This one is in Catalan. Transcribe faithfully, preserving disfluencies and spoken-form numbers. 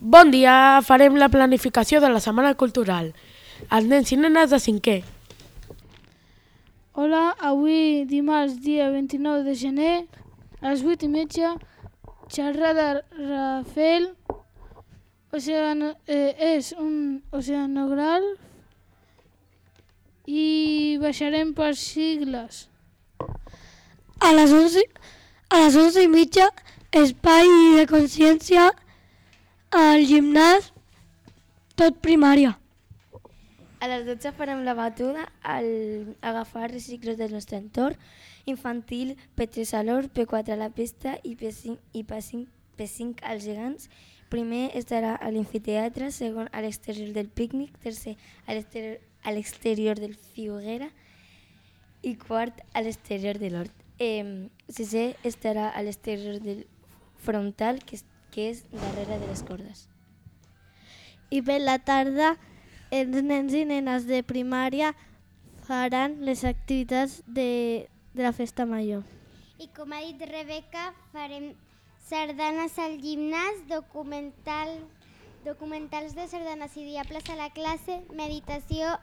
Bon dia, farem la planificació de la Setmana Cultural. Els nens i nenes de cinquè. Hola, avui dimarts dia vint-i-nou de gener a les vuit i mitja xerrada Rafael oceano, eh, és un oceanògraf i baixarem per sigles. A les onze, a les onze i mitja, espai de consciència al gimnàs, tot primària. A les dotze farem la batuda al agafar recicles del nostre entorn, infantil, P tres a l'Hort, P quatre a la pista i P cinc, i P cinc, P cinc als gegants. Primer estarà a l'amfiteatre, segon a l'exterior del pícnic, tercer a l'exterior, a l'exterior del Figuera i quart a l'exterior de l'Hort. Eh, sisè estarà a l'exterior del frontal, que és, que és darrere de les cordes. I per la tarda els nens i nenes de primària faran les activitats de, de la festa major. I com ha dit Rebeca, farem sardanes al gimnàs, documental, documentals de sardanes i diables a la classe, meditació